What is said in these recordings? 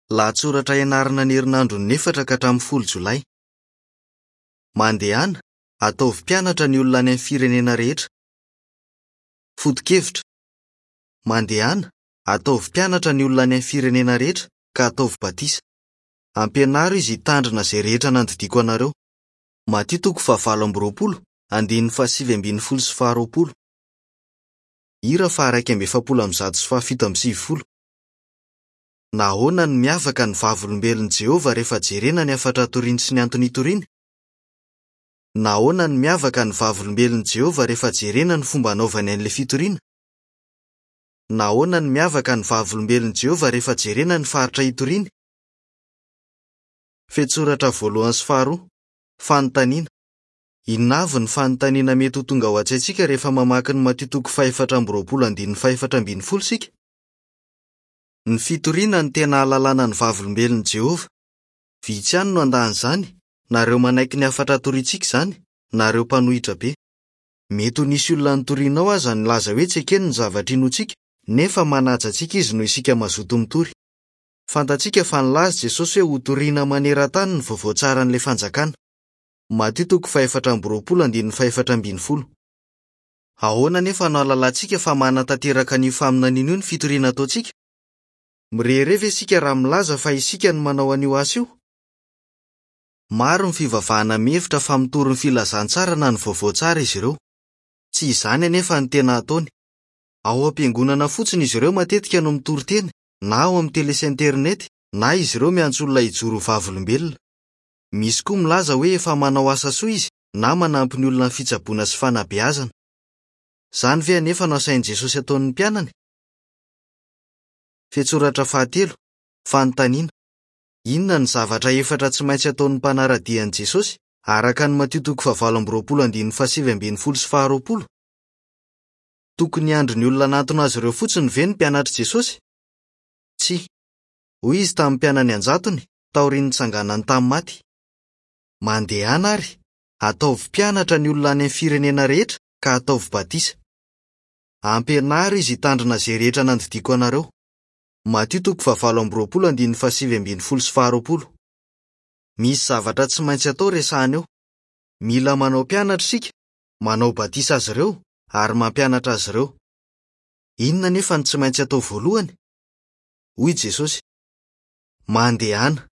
Lahatsoratra ianarana ny herinandron'ny 4 ka hatramin'ny 10 Jolay. Mandehana, ataovy mpianatra ny olona any amin'ny firenena rehetra. Foto-kevitra. Mandehana, ataovy mpianatra ny olona any amin'ny firenena rehetra ka ataovy batisa. Ampianaro izy hitandrina izay rehetra nandidiako anareo. Matio toko fahavalo amby roapolo, andininy faha-19 sy faha-20. Hira faha-141 sy faha-97. Nahoana no miavaka ny Vavolombelon'i Jehovah rehefa jerena ny hafatra toriny sy ny antony itoriany? Nahoana no miavaka ny Vavolombelon'i Jehovah rehefa jerena ny fomba anaovany an'ilay fitoriana? Nahoana no miavaka ny Vavolombelon'i Jehovah rehefa jerena ny faritra itoriany? Fehintsoratra voalohany sy faharoa. Fanontaniana. Inona avy ny fanontaniana mety ho tonga ao an-tsaintsika rehefa mamaky ny Matio toko faha-24 andininy faha-14 isika? Ny fitoriana no tena ahalalana ny Vavolombelon'i Jehovah. Vitsy ihany no handà an'izany, na ireo manaiky ny hafatra torintsika izany, na ireo mpanohitra be. Mety ho nisy olona nitorianao aza nilaza hoe tsy ekeny ny zavatra inoantsika, nefa manaja antsika izy noho isika mazoto mitory. Fantatsika fa nilaza Jesosy hoe hotorina maneran-tany ny vaovao tsaran'ilay Fanjakana. Matio toko faha-24 andininy faha-14. Ahoana anefa no ahalalantsika fa manatanteraka an'io faminaniana io ny fitoriana ataontsika? Mirehareha ve isika raha milaza fa isika no manao an'io asa io? Maro ny fivavahana mihevitra fa mitory ny filazantsara na ny vaovao tsara izy ireo. Tsy izany anefa no tena ataony. Ao am-piangonana fotsiny izy ireo matetika no mitory teny, na ao amin'ny tele sy internet, na izy ireo miantso olona hijoro ho vavolombelona. Misy koa milaza hoe efa manao asa soa izy na manampy ny olona amin'ny fitsaboana sy fanabeazana. Izany ve anefa no asain'i Jesosy ataon'ny mpianany? Fehintsoratra fahatelo, Fanontaniana, Inona no zavatra efatra tsy maintsy ataon'ny mpanara-dia an'i Jesosy, araka ny Matio toko fahavalo amby roapolo andininy faha-19 sy faha-20? Tokony hiandry ny olona hanatona azy ireo fotsiny ve ny mpianatr'i Jesosy? Tsia. Hoy izy tamin'ny mpianany an-jatony, taorian'ny nitsanganany tamin'ny maty, Mandehana àry, ataovy mpianatra ny olona any amin'ny firenena rehetra ka ataovy batisa. Ampianaro izy hitandrina izay rehetra nandidiako anareo. Matio toko fahavalo amby roapolo andininy faha-19 sy faha-20. Misy zavatra tsy maintsy atao resahina eo. Mila manao mpianatra isika, manao batisa azy ireo, ary mampianatra azy ireo. Inona anefa no tsy maintsy atao voalohany? Hoy Jesosy, Mandehana.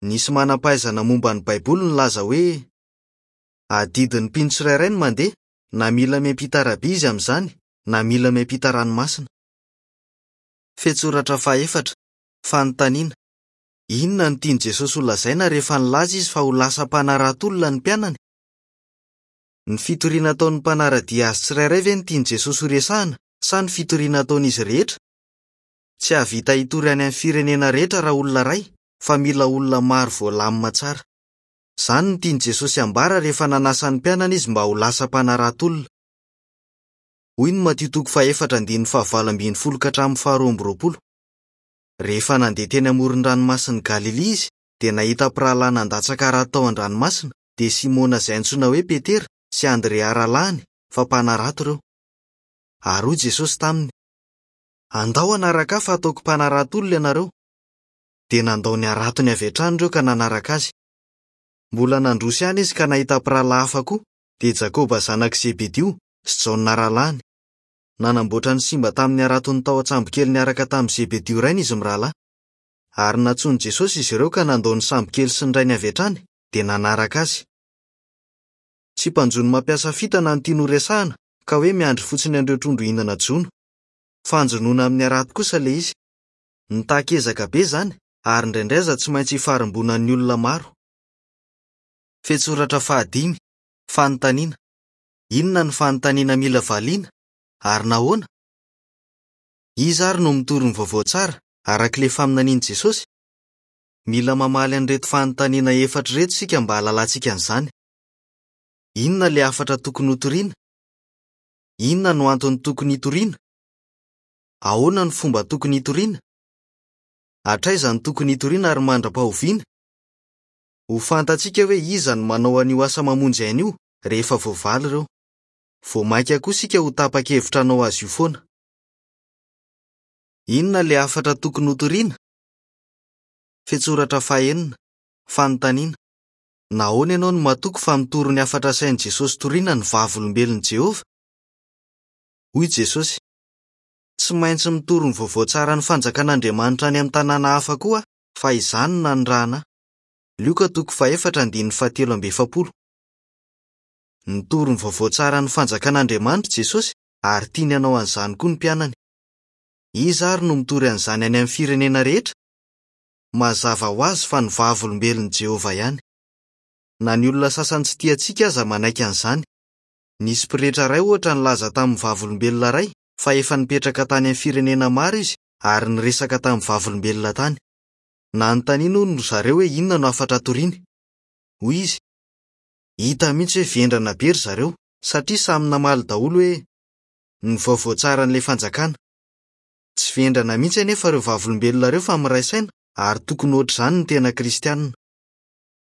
Nisy manam-pahaizana momba ny Baiboly nilaza hoe, Adidin'ny mpino tsirairay ny mandeha, na mila miampita arabe izy amin'izany, na mila miampita ranomasina. Fehintsoratra fahefatra, Fanontaniana, Inona no tian'i Jesosy holazaina rehefa nilaza izy fa ho lasa mpanarato olona ny mpianany? Ny fitoriana ataon'ny mpanara-dia azy tsirairay ve no tian'i Jesosy horesahina sa ny fitoriana ataon'izy rehetra? Tsy hahavita hitory any amin'ny firenena rehetra raha olona iray, fa mila olona maro voalamina tsara. Izany no tian'i Jesosy hambara rehefa nanasa ny mpianany izy mba ho lasa mpanarato olona. Hoy ny Matio toko fahefatra andininy fahavalo ambin'ny folo ka hatramin'ny faharoa amby roapolo. Rehefa nandeha teny amoron-dranomasin'i Galilia izy, dia nahita mpirahalahy nandatsaka harato tao an-dranomasina, dia Simona izay antsoina hoe Petera sy Andrea rahalahiny, fa mpanarato ireo. Ary hoy Jesosy taminy, Andao hanaraka ahy fa hataoko mpanarato olona ianareo. Dia nandao ny haratony avy hatrany ireo ka nanaraka azy. Mbola nandroso ihany izy ka nahita mpirahalahy hafa koa, dia Jakoba zanak'i Zebedio sy Jaona rahalahiny. Nanamboatra ny simba tamin'ny haratony tao an-tsambokely niaraka tamin'i Zebedio rainy izy mirahalahy. Ary nantsoin'i Jesosy izy ireo ka nandao ny sambokely sy ny rainy avy hatrany, dia nanaraka azy. Tsy mpanjono mampiasa fitana no tiany horesahina, ka hoe miandry fotsiny an'ireo trondro hihinana jono. Fanjonoana amin'ny harato kosa ilay izy. Mitaky ezaka be izany, ary indraindray aza tsy maintsy ifarimbonan'ny olona maro. Fehintsoratra fahadimy, Fanontaniana, Inona no fanontaniana mila valiana, ary nahoana? Iza àry no mitory ny vaovao tsara, araka ilay faminanian'i Jesosy? Mila mamaly an'ireto fanontaniana efatra ireto isika mba hahalalantsika an'izany. Inona ilay hafatra tokony hotorina? Inona no antony tokony hitoriana? Ahoana no fomba tokony hitoriana? Hatraiza no tokony hitoriana ary mandra-pahoviana? Ho fantatsika hoe iza no manao an'io asa mamonjy aina io rehefa voavaly ireo. Vao mainka koa isika ho tapa-kevitra hanao azy io foana. Inona ilay hafatra tokony hotorina? Fehintsoratra fahenina, Fanontaniana, Nahoana ianao no matoky fa mitory ny hafatra asain'i Jesosy torina ny Vavolombelon'i Jehovah? Hoy Jesosy, Tsy maintsy mitory ny vaovao tsaran'ny Fanjakan'Andriamanitra any amin'ny tanàna hafa koa aho, fa izany no nanirahana ahy. Lioka toko fahefatra andininy fahatelo amby efapolo. Nitory ny vaovao tsaran'ny Fanjakan'Andriamanitra Jesosy ary tiany hanao an'izany koa ny mpianany. Iza àry no mitory an'izany any amin'ny firenena rehetra? Mazava ho azy fa ny Vavolombelon'i Jehovah ihany. Na ny olona sasany tsy tia antsika aza manaiky an'izany. Nisy pretra iray, ohatra, nilaza tamin'ny Vavolombelona iray fa efa nipetraka tany amin'ny firenena maro izy ary niresaka tamin'ny Vavolombelona tany. Nanontaniany, hono, ry zareo hoe inona no hafatra toriny. Hoy izy, Hita mihitsy hoe vendrana be ry zareo, satria samy namaly daholo hoe, 'Ny vaovao tsaran'ilay Fanjakana. Tsy vendrana mihitsy anefa ireo Vavolombelona ireo fa miray saina ary tokony hoatr'izany ny tena Kristianina.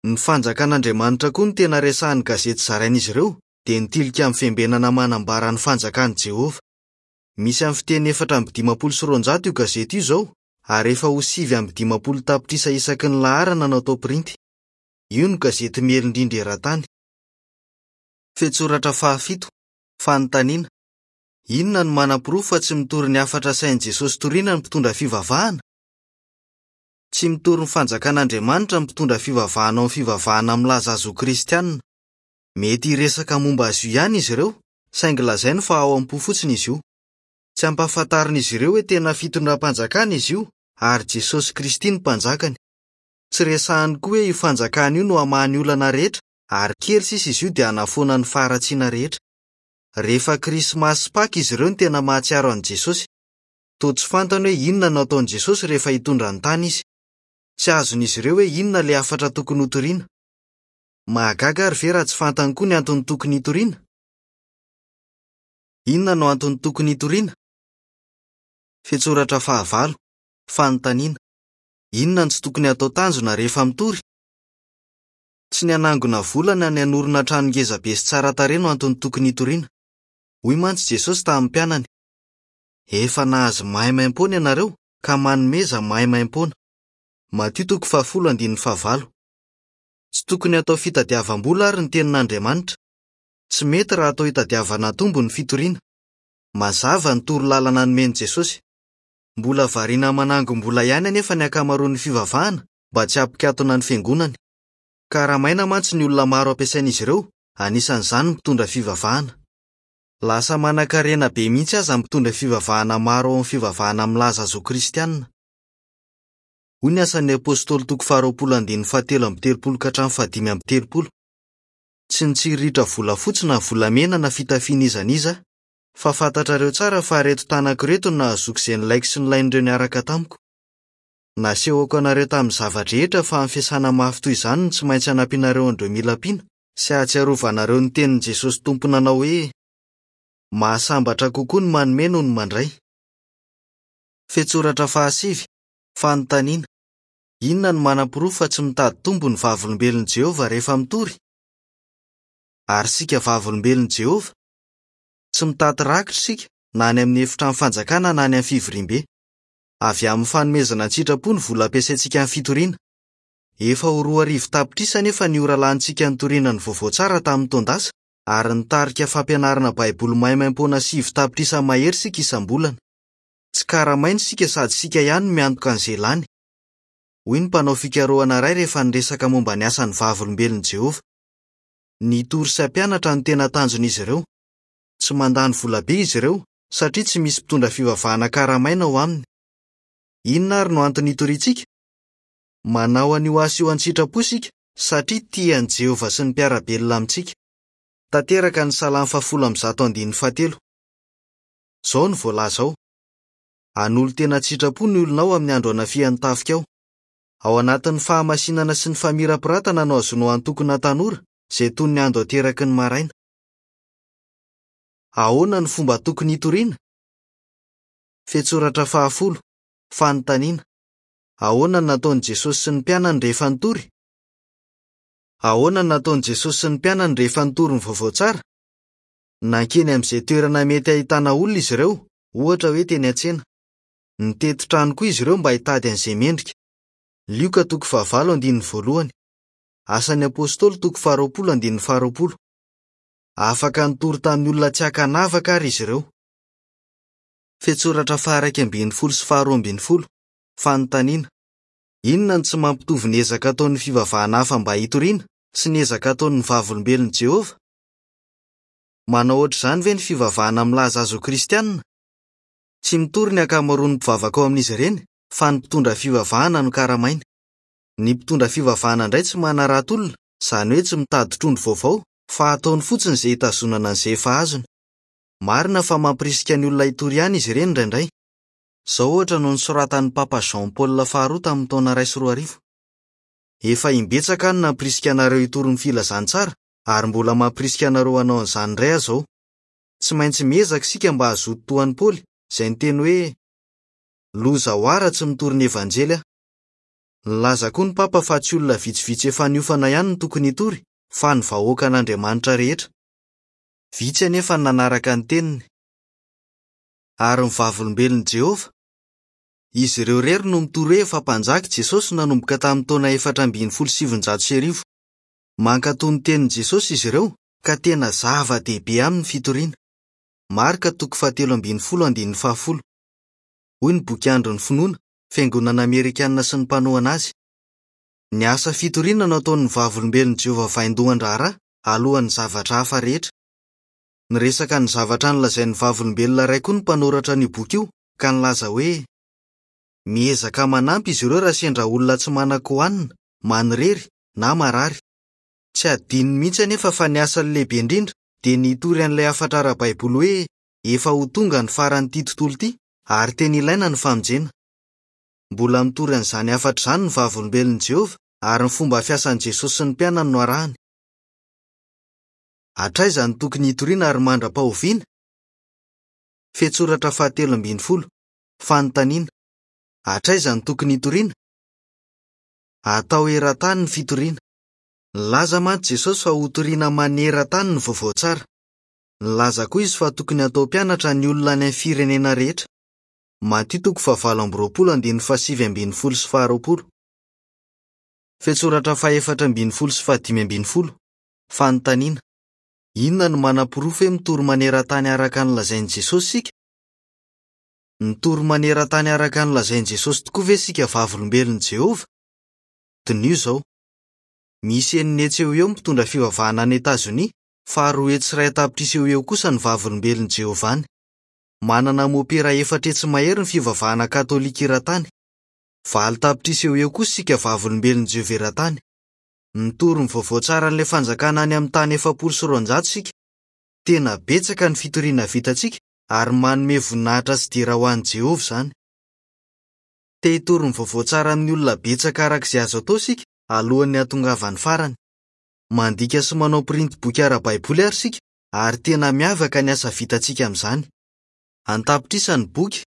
Ny Fanjakan'Andriamanitra koa no tena resahin'ny gazety zarain'izy ireo, dia ny Tilikambo Fiambenana Manambara ny Fanjakan'i Jehovah. Misy amin'ny fiteny 254 io gazety io izao, ary efa ho 59 tapitrisa isaky ny laharana no atao pirinty. Io no gazety miely indrindra eran-tany. Fehintsoratra fahafito, Fanontaniana, Inona no manaporofo fa tsy mitory ny hafatra asain'i Jesosy torina ny mpitondra fivavahana? Tsy mitory ny Fanjakan'Andriamanitra ny mpitondra fivavahana ao amin'ny fivavahana milaza azy ho Kristianina. Mety hiresaka momba azy io ihany izy ireo, saingy lazainy fa ao am-po fotsiny izy io. Tsy ampahafantarin'izy ireo hoe tena fitondram-panjakana izy io, ary Jesosy Kristy no Mpanjakany. Tsy resahiny koa hoe io Fanjakana io no hamaha ny olana rehetra, ary kely sisa izy io dia hanafoana ny faharatsiana rehetra. Rehefa Krismasy sy Paka izy ireo no tena mahatsiaro an'i Jesosy. Toa tsy fantany hoe inona no hataon'i Jesosy rehefa hitondra ny tany izy. Tsy azon'izy ireo hoe inona ilay hafatra tokony hotorina. Mahagaga àry ve raha tsy fantany koa ny antony tokony hitoriana? Inona no antony tokony hitoriana? Fehintsoratra fahavalo, Fanontaniana, Inona no tsy tokony hatao tanjona rehefa mitory? Tsy ny hanangona vola na ny hanorina trano ngezabe sy tsara tarehy no antony tokony hitoriana. Hoy mantsy Jesosy tamin'ny mpianany, Efa nahazo maimaimpoana ianareo, ka manomeza maimaimpoana. Matio toko fahafolo andininy fahavalo. Tsy tokony hatao fitadiavam-bola àry ny Tenin'Andriamanitra. Tsy mety raha atao hitadiavana tombo ny fitoriana. Mazava ny toro lalana nomen'i Jesosy. Mbola variana manangom-bola ihany anefa ny ankamaroan'ny fivavahana mba tsy hampikatona ny fiangonany. Karamaina mantsy ny olona maro ampiasain'izy ireo, anisan'izany ny mpitondra fivavahana. Lasa manankarena be mihitsy aza ny mpitondra fivavahana maro ao amin'ny fivavahana milaza azy ho kristianina. Hoy ny Asan'ny Apostoly toko faharoapolo andininy fahatelo amby telopolo ka hatramin'ny fahadimy amby telopolo, Tsy nitsiriritra volafotsy na volamena na fitafiana iza n'iza aho, fa fantatrareo tsara fa ireto tanako ireto no nahazoako izay nilaiko sy nilain'ireo niaraka tamiko. Nasehoko anareo tamin'ny zava-drehetra fa amin'ny fiasana mafy toy izany no tsy maintsy hanampianareo an'ireo mila ampiana, sy hahatsiarovanareo ny tenin'i Jesosy Tompo nanao hoe, Mahasambatra kokoa ny manome noho ny mandray. Fehintsoratra fahasivy, Fanontaniana, Inona no manaporofo fa tsy mitady tombo ny Vavolombelon'i Jehovah rehefa mitory? Ary isika Vavolombelon'i Jehovah? Tsy mitady rakitra isika, na any amin'ny Efitrano Fanjakana na any amin'ny fivoriambe. Avy amin'ny fanomezana an-tsitrapo ny vola ampiasaintsika amin'ny fitoriana. Efa ho 2000 tapitrisa anefa ny ora lanintsika nitoriana ny vaovao tsara tamin'ny taon-dasa, ary nitarika fampianarana Baiboly maimaimpoana 9 tapitrisa mahery isika isam-bolana. Tsy karamaina isika sady isika ihany no miantoka an'izay lany. Hoy ny mpanao fikarohana iray rehefa niresaka momba ny asan'ny Vavolombelon'i Jehovah. Ny hitory sy hampianatra no tena tanjon'izy ireo. Tsy mandany vola be izy ireo, satria tsy misy mpitondra fivavahana karamaina ao aminy. Inona àry no antony itoriantsika? Manao an'io asa io an-tsitrapo isika satria tia an'i Jehovah sy ny mpiara-belona amintsika. Tanteraka ny Salamo fahafolo amby zato andininy fahatelo. Izao no voalaza ao, Hanolo-tena an-tsitrapo ny olonao amin'ny andro hanafihan'ny tafikao. Ao anatin'ny fahamasinana sy ny famirapiratana no azonao antokona tanora izay toy ny ando ateraky ny maraina. Ahoana no fomba tokony hitoriana? Fehintsoratra fahafolo, Fanontaniana, Ahoana no nataon'i Jesosy sy ny mpianany rehefa nitory? Ahoana no nataon'i Jesosy sy ny mpianany rehefa nitory ny vaovao tsara? Nankeny amin'izay toerana mety hahitana olona izy ireo, ohatra hoe teny an-tsena. Nitety trano koa izy ireo mba hitady an'izay mendrika. Lioka toko fahavalo andininy voalohany. Asan'ny Apostoly toko faharoapolo andininy faharoapolo. Afaka nitory tamin'ny olona tsy ankanavaka àry izy ireo. Fehintsoratra faha-11 sy faha-12. Fanontaniana, Inona no tsy mampitovy ny ezaka ataon'ny fivavahana hafa mba hitoriana sy ny ezaka ataon'ny Vavolombelon'i Jehovah? Manao hoatr'izany ve ny fivavahana milaza azy ho Kristianina? Tsy mitory ny ankamaroan'ny mpivavaka ao amin'izy ireny, fa ny mpitondra fivavahana no karamainy. Ny mpitondra fivavahana indray tsy manarato olona, izany hoe tsy mitady trondro vaovao, fa ataony fotsiny izay hitazonana an'izay efa azony. Marina fa mampirisika ny olona hitory ihany izy ireny indraindray. Izao, ohatra, no nosoratan'ny Papa Jean Paul faharoa tamin'ny taona 2001, Efa imbetsaka aho no nampirisika anareo hitory ny filazantsara, ary mbola mampirisika anareo hanao an'izany indray aho izao. Tsy maintsy miezaka isika mba hazoto toa an'i Paoly, izay niteny hoe, Loza ho ahy raha tsy mitory ny Evanjely aho. Nilaza koa ny Papa fa tsy olona vitsivitsy efa niofana ihany no tokony hitory, fa ny vahoakan'Andriamanitra rehetra. Vitsy anefa ny nanaraka ny teniny. Ary ny Vavolombelon'i Jehovah? Izy ireo irery no mitory hoe efa Mpanjaka i Jesosy nanomboka tamin'ny taona 1914. Mankatò ny tenin'i Jesosy izy ireo, ka tena zava-dehibe aminy ny fitoriana. Marka toko fahatelo ambin'ny folo andininy fahafolo. Hoy ny boky Andron'ny Finoana, Fiangonana Amerikanina sy ny Mpanohana Azy, Ny asa fitoriana no ataon'ny Vavolombelon'i Jehovah vaindohan-draharaha alohan'ny zavatra hafa rehetra. Niresaka ny zavatra nolazain'ny Vavolombelona iray koa ny mpanoratra an'io boky io, ka nilaza hoe, Miezaka manampy izy ireo raha sendra olona tsy manan-kohanina, manirery, na marary. Tsy hadinony mihitsy anefa fa ny asany lehibe indrindra dia ny hitory an'ilay hafatra ara-baiboly hoe efa ho tonga ny faran'ity tontolo ity ary tena ilaina ny famonjena. Mbola mitory an'izany hafatra izany ny Vavolombelon'i Jehovah ary ny fomba fiasan'i Jesosy sy ny mpianany no arahiny. Hatraiza no tokony hitoriana ary mandra-pahoviana? Fehintsoratra fahatelo ambin'ny folo. Fanontaniana, Hatraiza no tokony hitoriana? Atao eran-tany ny fitoriana. Nilaza mantsy Jesosy fa hotorina maneran-tany ny vaovao tsara. Nilaza koa izy fa tokony hatao mpianatra ny olona any amin'ny firenena rehetra. Matio toko fahavalo amby roapolo andininy fahasivy ambin'ny folo sy faharoapolo. Fehintsoratra fahefatra ambin'ny folo sy fahadimy ambin'ny folo. Fanontaniana, Inona no manaporofo hoe mitory maneran-tany araka ny lazain'i Jesosy isika? Mitory maneran-tany araka ny lazain'i Jesosy tokoa ve isika Vavolombelon'i Jehovah? Diniho izao, Misy enina hetsy eo ho eo ny mpitondra fivavahana any Etazonia, fa 201 tapitrisa eo ho eo kosa ny Vavolombelon'i Jehovah any. Manana mopera 400 mahery ny fivavahana katolika eran-tany. 8 tapitrisa eo ho eo kosa isika Vavolombelon'i Jehovah eran-tany. Mitory ny vaovao tsaran'ilay Fanjakana any amin'ny tany 240 isika. Tena betsaka ny fitoriana vitantsika ary manome voninahitra sy dera ho an'i Jehovah izany. Te hitory ny vaovao tsara amin'ny olona betsaka araka izay azo atao isika alohan'ny hahatongavan'ny farany. Mandika sy manao pirinty boky ara-baiboly àry isika ary tena miavaka ny asa vitantsika amin'izany. An-tapitrisa ny boky,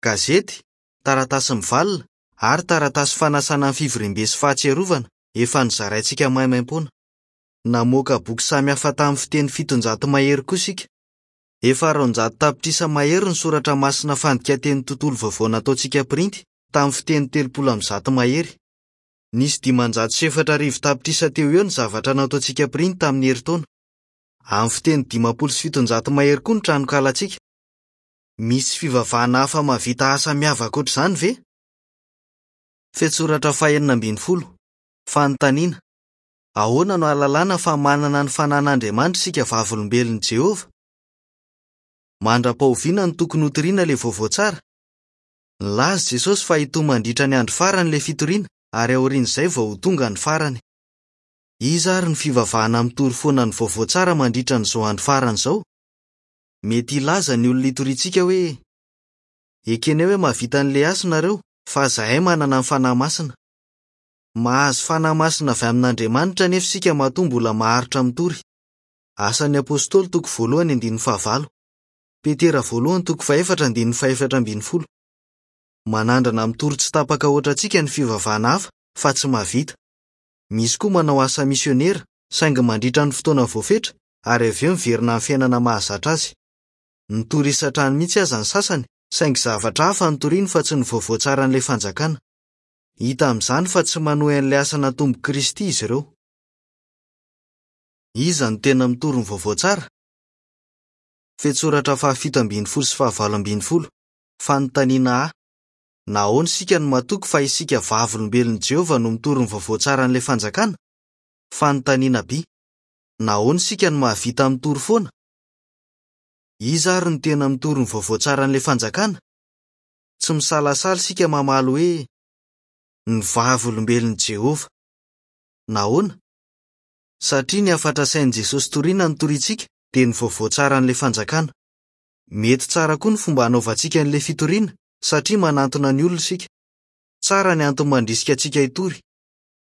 gazety, taratasy mivalona, ary taratasy fanasana ny fivoriambe sy Fahatsiarovana efa nozaraintsika maimaimpoana. Namoaka boky samihafa tamin'ny fiteny 700 mahery koa isika. Efa 200 tapitrisa mahery ny Soratra Masina Fandikan-tenin'ny Tontolo Vaovao nataontsika pirinty tamin'ny fiteny 130 mahery. Nisy 405 tapitrisa teo ho eo ny zavatra nataontsika pirinty tamin'ny herintaona. Amin'ny fiteny 750 mahery koa ny tranonkalantsika. Misy fivavahana hafa mahavita asa miavaka hoatr'izany ve? Fehintsoratra fahenina ambin'ny folo. Fanontaniana, Ahoana no ahalalana fa manana ny fanan'Andriamanitra isika Vavolombelon'i Jehovah? Mandra-pahoviana no tokony hotorina ilay vaovao tsara? Nilaza Jesosy fa hitohy mandritra ny andro farany ilay fitoriana ary aorian'izay vao ho tonga ny farany. Iza àry no fivavahana mitory foana ny vaovao tsara mandritra an'izao andro farany izao? Mety hilaza ny olona itoriantsika hoe, Ekenay hoe mahavita an'ilay asa nareo, fa izahay manana ny fanahy masina. Mahazo fanahy masina avy amin'Andriamanitra anefa isika matoa mbola maharitra mitory. Asan'ny Apostoly toko voalohany andininy fahavalo. Petera voalohany toko fahefatra andininy fahefatra ambin'ny folo. Manandrana mitory tsy tapaka hoatrantsika ny fivavahana hafa fa tsy mahavita. Misy koa manao asa misionera saingy mandritra ny fotoana voafetra ary avy eo miverina amin'ny fiainana mahazatra azy. Mitory isan-trano mihitsy aza ny sasany saingy zavatra hafa no toriny fa tsy ny vaovao tsaran'ilay Fanjakana. Hita amin'izany fa tsy manohy an'ilay asa natombok'i Kristy izy ireo. Iza no tena mitory ny vaovao tsara? Fehintsoratra fahafito ambin'ny folo sy fahavalo ambin'ny folo, Fanontaniana A, Nahoana isika no matoky fa isika Vavolombelon'i Jehovah no mitory ny vaovao tsaran'ilay Fanjakana? Fanontaniana B, Nahoana isika no mahavita mitory foana? Iza àry no tena mitory ny vaovao tsaran'ilay Fanjakana? Tsy misalasala isika mamaly hoe, Ny Vavolombelon'i Jehovah. Nahoana? Satria ny hafatra asain'i Jesosy torina no torintsika, dia ny vaovao tsaran'ilay Fanjakana. Mety tsara koa ny fomba anaovantsika an'ilay fitoriana, satria manantona ny olona isika. Tsara ny antony mandrisika antsika hitory.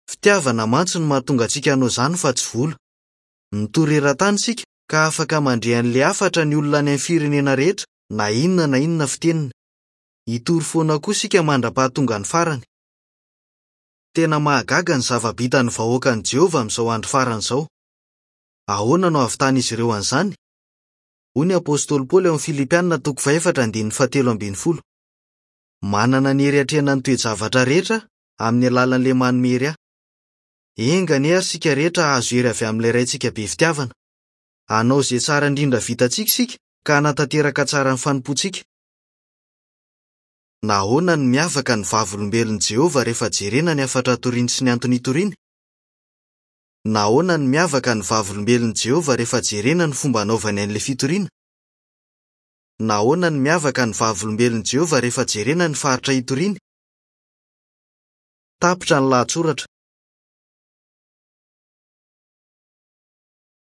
Fitiavana mantsy no mahatonga antsika hanao izany fa tsy vola. Mitory eran-tany isika, ka afaka mandre an'ilay hafatra ny olona any amin'ny firenena rehetra, na inona na inona fiteniny. Hitory foana koa isika mandra-pahatonga ny farany. Tena mahagaga ny zava-bitan'ny vahoakan'i Jehovah amin'izao andro farany izao. Ahoana no ahavitan'izy ireo an'izany? Hoy ny apostoly Paoly ao amin'ny Filipiana toko fahefatra andininy fahatelo ambin'ny folo, Manana ny hery hiatrehana ny toe-javatra rehetra aho, amin'ny alalan'ilay manome hery ahy. Enga anie àry isika rehetra hahazo hery avy amin'ilay Raintsika be fitiavana. Hanao izay tsara indrindra vitantsika isika, ka hanatanteraka tsara ny fanompoantsika. Nahoana no miavaka ny Vavolombelon'i Jehovah rehefa jerena ny hafatra toriny sy ny antony itoriany? Nahoana no miavaka ny Vavolombelon'i Jehovah rehefa jerena ny fomba anaovany an'ilay fitoriana? Nahoana no miavaka ny Vavolombelon'i Jehovah rehefa jerena ny faritra itoriany? Tapitra ny lahatsoratra.